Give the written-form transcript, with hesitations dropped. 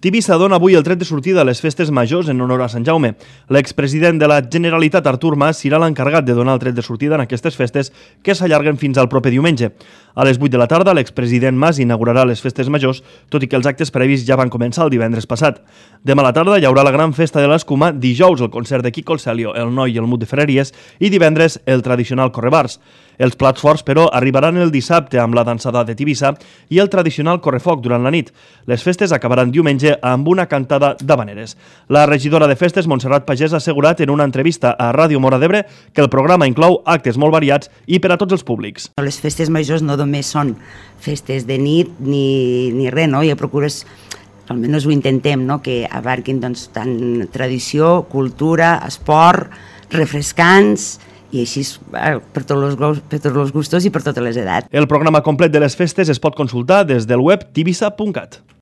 Tivissa dona avui el tret de sortida a les festes majors en honor a Sant Jaume. L'expresident de la Generalitat, Artur Mas, serà l'encarregat de donar el tret de sortida en aquestes festes que s'allarguen fins al proper diumenge. A les 8 de la tarda, l'expresident Mas inaugurarà les festes majors, tot i que els actes previs ja van començar el divendres passat. Demà a la tarda hi haurà la gran festa de l'Escuma, dijous el concert de Quico el Celio, el Noi i el Mut de Ferreries i divendres el tradicional correbars. Els plats forts, però, arribaran el dissabte amb la dansada de Tivissa i el tradicional correfoc durant la nit. Les festes acabaran diumenge amb una cantada d'habaneres. La regidora de festes, Montserrat Pagès, ha assegurat en una entrevista a Ràdio Móra d'Ebre que el programa inclou actes molt variats i per a tots els públics. Les festes majors no només són festes de nit ni res, no? Ja procures, almenys ho intentem, no? Que abarquin doncs, tant tradició, cultura, esport, refrescants i així per tots els gustos i per totes les edats. El programa complet de les festes es pot consultar des del web tivissa.cat.